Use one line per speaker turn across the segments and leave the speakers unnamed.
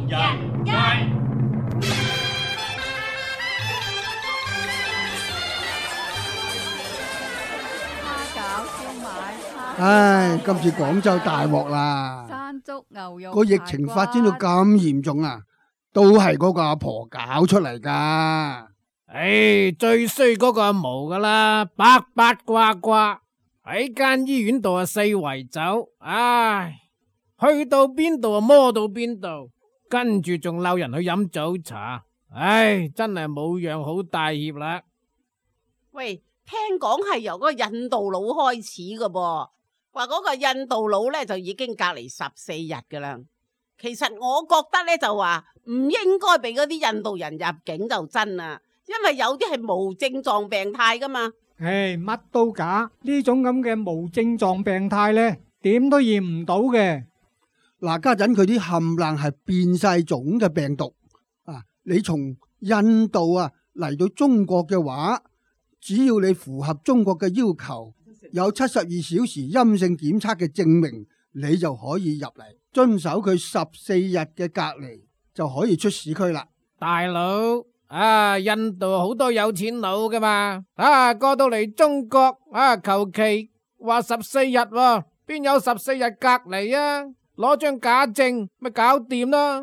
人街。
蝦餃、燒賣、
唉，今次廣州大鑊啦！
山竹牛肉
個疫情發展到咁嚴重啊，都係嗰個阿婆搞出嚟噶。
唉，最衰嗰個阿毛噶啦，八八卦卦喺間醫院度啊四圍走，唉，去到邊度啊摸到邊度，跟住仲鬧人去飲早茶，唉，真係冇樣好帶挈啦。
喂，聽講係由嗰個印度佬開始噶噃，話嗰個印度佬咧就已經隔離14日噶啦。其實我覺得咧就話唔應該俾嗰啲印度人入境就真啦，因為有啲係無症狀病態噶嘛。
唉，乜都假，呢種咁嘅無症狀病態呢，點都驗唔到嘅。
嗱，家陣佢啲冚唪唥係變晒種嘅病毒啊！你從印度啊嚟到中國嘅話，只要你符合中國嘅要求，有72小時陰性檢測嘅證明，你就可以入嚟，遵守佢14日嘅隔離，就可以出市區啦。
大佬啊，印度好多有錢佬噶嘛，啊過到嚟中國啊，求其話14日喎，邊有14日隔離啊？攞張假證咪搞掂啦。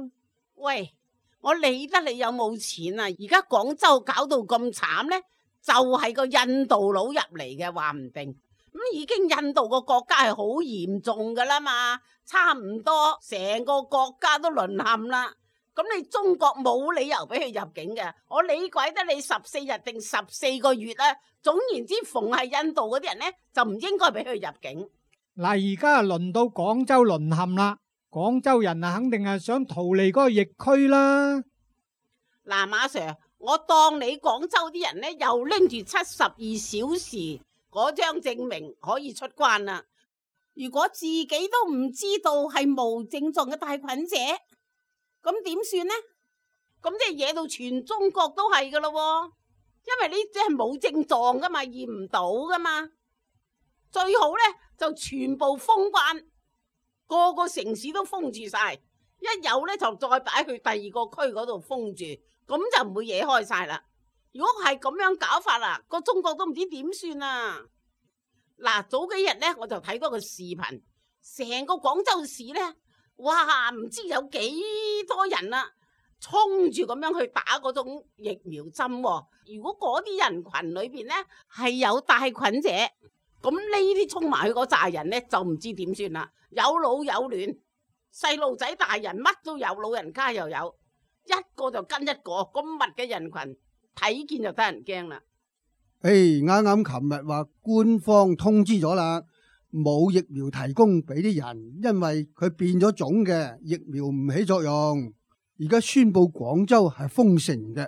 喂，我理得你有冇錢啊？而家廣州搞到咁慘呢，就係個印度佬入嚟嘅，話唔定咁已經印度個國家係好嚴重噶啦嘛，差唔多成個國家都淪陷啦。咁你中國冇理由俾佢入境嘅，我理鬼得你14日定14個月啊！總言之，逢係印度嗰啲人呢，就唔應該俾佢入境。
嗱，而家輪到廣州淪陷啦，廣州人啊肯定係想逃離嗰個疫區啦。
嗱，馬 Sir， 我當你廣州啲人呢，又拎住72小時嗰張證明可以出關啦。如果自己都唔知道係無症狀嘅帶菌者，咁點算呢？咁即係惹到全中國都係噶咯，因為呢啲係冇症狀噶嘛，驗唔到噶嘛。最好呢，就全部封關，個個城市都封住晒，一有呢，就再擺去第二個區嗰度封住，咁就唔會惹開晒啦。如果係咁樣搞法啦，個中國都唔知點算啊！嗱，早幾日呢，我就睇到個視頻，成個廣州市呢，哇，唔知有幾多人啊，衝住咁樣去打嗰種疫苗針啊。如果嗰啲人群裏邊呢，係有帶菌者，咁呢啲衝埋去嗰扎人呢，就唔知點算啦。有老有嫩，細路仔大人乜都有，老人家又有，一個就跟一個，咁密嘅人群睇見就得人驚啦。
啱啱琴日話官方通知咗啦，冇疫苗提供俾啲人，因為佢變咗種嘅疫苗唔起作用。而家宣布廣州係封城嘅，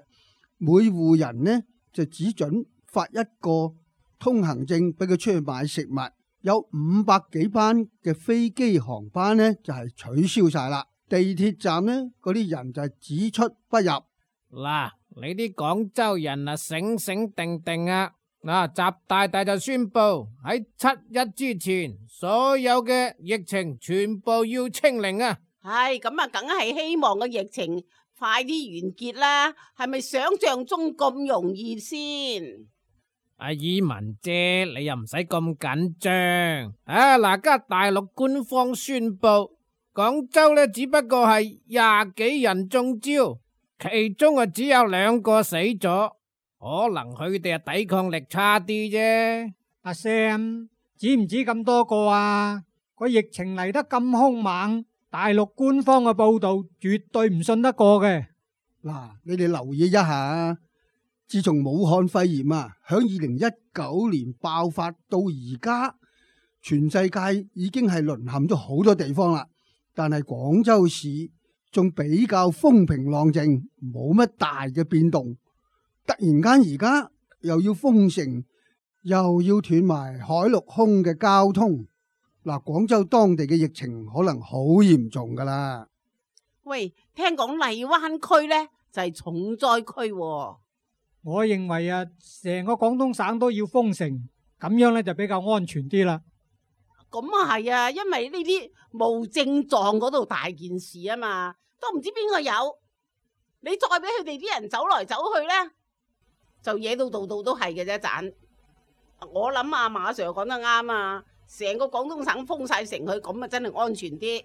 每戶人呢就只准發一個通行證俾佢出去買食物。有500幾班嘅飛機航班呢就係取消晒啦，地鐵站呢嗰啲人就係只出不入。
嗱，你啲廣州人啊醒醒定定啊！嗱，習大大就宣布喺7日之前，所有嘅疫情全部要清零啊！
唉，咁啊，梗係希望個疫情快啲完結啦。係咪想象中咁容易先？
阿以文姐，你又唔使咁緊張啊！嗱，家大陸官方宣布，廣州呢只不過係20幾人中招，其中啊只有2個死咗，可能佢哋啊抵抗力差啲啫。
阿 Sam， 止唔止咁多個啊？個疫情嚟得咁兇猛，大陸官方嘅報道絕對唔信得過嘅。
嗱，你哋留意一下，自從武漢肺炎啊響2019年爆發到而家，全世界已經係淪陷咗好多地方啦。但係廣州市仲比較風平浪靜，冇乜大嘅變動。突然間而家又要封城，又要斷埋海陸空嘅交通。嗱，廣州當地嘅疫情可能好嚴重噶啦。
喂，聽講荔灣區呢就係重災區喎。
我認為啊，成個廣東省都要封城，咁樣呢就比較安全啲啦。
咁啊係啊，因為呢啲無症狀嗰度大件事啊嘛，都都唔知邊個有。你再俾佢哋啲人走來走去呢，就惹到度度都係嘅啫。盞我諗阿馬 Sir 講得啱啊，成個廣東省封晒城去，咁啊真係安全啲。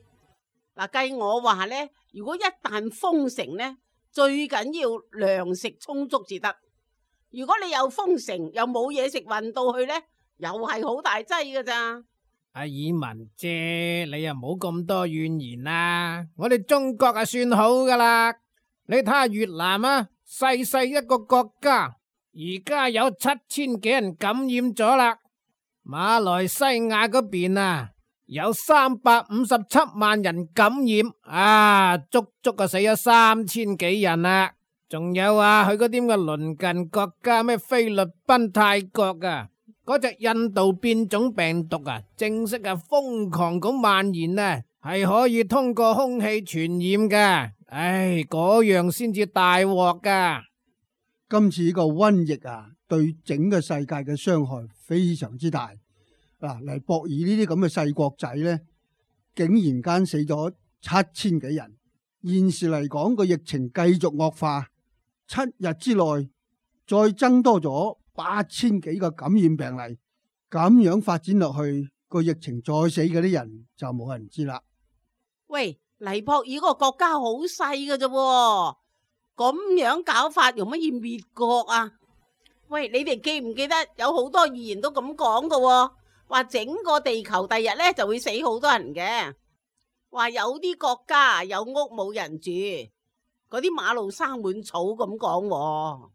嗱，計我話呢，如果一旦封城呢，最緊要糧食充足至得。如果你又封城又冇嘢食運到去呢，又係好大劑㗎咋。
阿爾文姐，你又冇咁多怨言啦。我哋中國啊算好噶啦。你睇下越南啊，細細一個國家，而家有7000幾人感染咗啦。馬來西亞嗰邊啊，有357萬人感染，啊，足足死咗3000幾人啦。仲有啊，去嗰啲咁嘅鄰近國家，咩菲律賓、泰國啊，嗰隻印度變種病毒啊，正式啊瘋狂咁蔓延啊，係可以通過空氣傳染㗎。唉，嗰樣先至大鑊㗎。
今次呢個瘟疫啊，對整個世界嘅傷害非常之大。嗱，黎博爾呢啲咁嘅細國仔呢，竟然間死咗7000幾人。現時嚟講，個疫情繼續惡化，7日之內再增多咗8000幾個感染病例，咁樣發展落去，個疫情再死嗰啲人就冇人知啦。
喂，黎博爾嗰個國家好細㗎啫，咁樣搞法容乜易滅國啊？喂，你哋記唔記得有好多預言都咁講㗎？話整個地球第日呢就會死好多人嘅，話有啲國家有屋冇人住，嗰啲馬路生滿草咁講。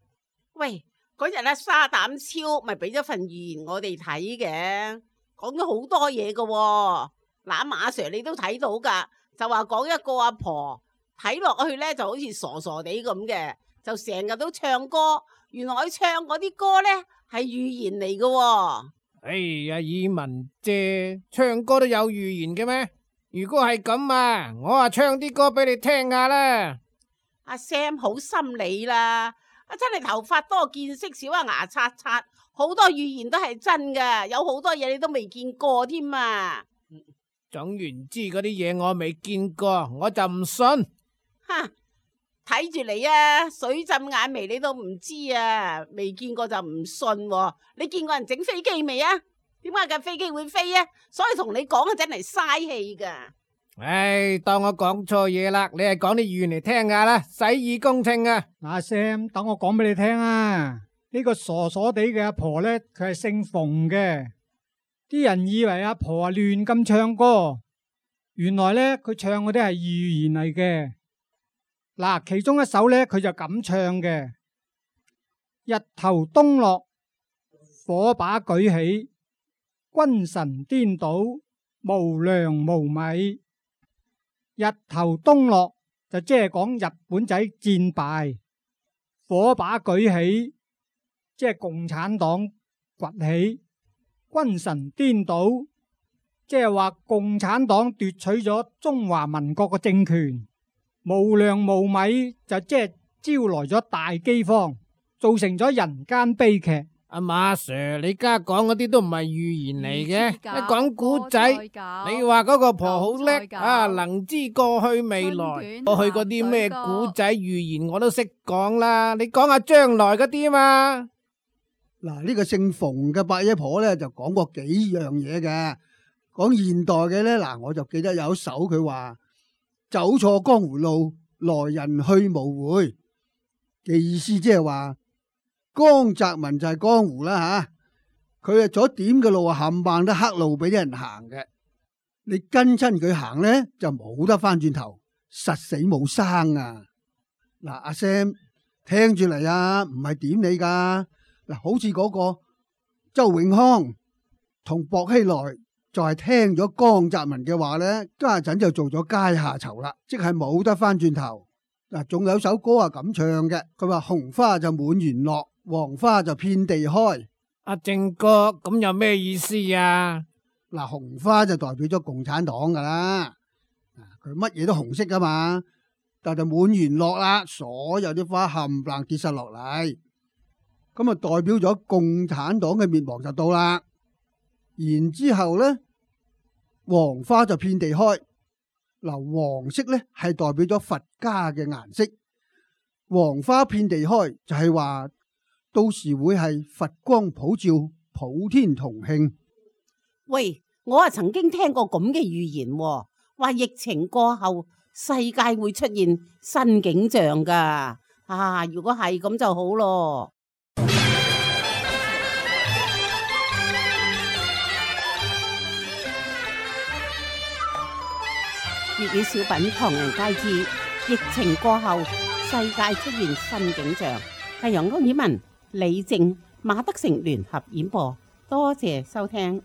喂，嗰日沙膽超咪俾咗份預言我哋睇嘅，講咗好多嘢㗎。嗱，馬 Sir 你都睇到噶，就話講一個阿婆睇落去呢就好似傻傻地咁嘅，就成日都唱歌，原來佢唱嗰啲歌呢係預言嚟㗎。
哎呀，爾文姐，唱歌都有預言嘅咩？如果係咁啊，我啊唱啲歌俾你聽下啦。
阿 Sam 好心理啦，真係頭髮多見識少啊，牙刷刷，好多預言都係真㗎，有好多嘢你都未見過添啊。
總言之，嗰啲嘢我未見過，我就唔信。
哈，睇住你啊，水浸眼眉你都唔知啊，未見過就唔信喎。你見過人整飛機未啊？點解架飛機會飛啊？所以同你講啊，真係嘥氣噶。
唉，當我講錯嘢啦，你係講啲語言嚟聽下啦，洗耳恭聽啊。
嗱，Sam，等我講俾你聽啊。呢個傻傻地嘅阿婆呢，佢係姓馮嘅。啲人以為阿婆啊亂咁唱歌，原來呢，佢唱嗰啲係預言嚟嘅。嗱，其中一首呢，佢就咁唱嘅：日頭東落，火把舉起，君臣顛倒，無糧無米。日頭東落就即係講日本仔戰敗，火把舉起即係共產黨崛起，君臣顛倒即係話共產黨奪取咗中華民國嘅政權，無糧無米就即係招來咗大饑荒，造成咗人間悲劇。
阿馬 Sir，你而家講嗰啲都唔係預言嚟嘅，一講古仔，你話嗰個婆好叻啊，能知過去未來，過去嗰啲咩古仔預言我都識講啦，你講下將來嗰啲嘛。
嗱，呢個姓馮嘅伯爺婆咧就講過幾樣嘢嘅，講現代嘅咧，嗱我就記得有一首佢話走錯江湖路，來人去無回嘅意思，即係話江澤民就係江湖啦吓，佢係左點嘅路啊，冚唪唥都黑路俾啲人行嘅，你跟親佢行咧就冇得翻轉頭，實死冇生啊！嗱，阿 Sam 聽住嚟啊，唔係點你噶。嗱，好似嗰個周永康同薄熙來就係聽咗江澤民嘅話咧，家陣就做咗階下囚啦，即係冇得翻轉頭。嗱，仲有首歌係咁唱嘅，佢話紅花就滿園落，黃花就遍地開。
阿正哥，咁有咩意思啊？
嗱，紅花就代表咗共產黨噶啦，佢乜嘢都紅色噶嘛，但係就滿園落啦，所有啲花冚唪唥跌晒落嚟。咁啊，代表咗共產黨嘅滅亡就到啦。然之後咧，黃花就遍地開。黃色呢係代表咗佛家嘅顏色，黃花遍地開就係話到時會係佛光普照，普天同慶。
喂，我啊曾經聽過咁嘅預言喎，話疫情過後世界會出現新景象噶。啊，如果係咁就好咯。粵語小品《唐人街之疫情過後世界出現新景象》，係由歐爾文、李靜、馬德成聯合演播，多謝收聽。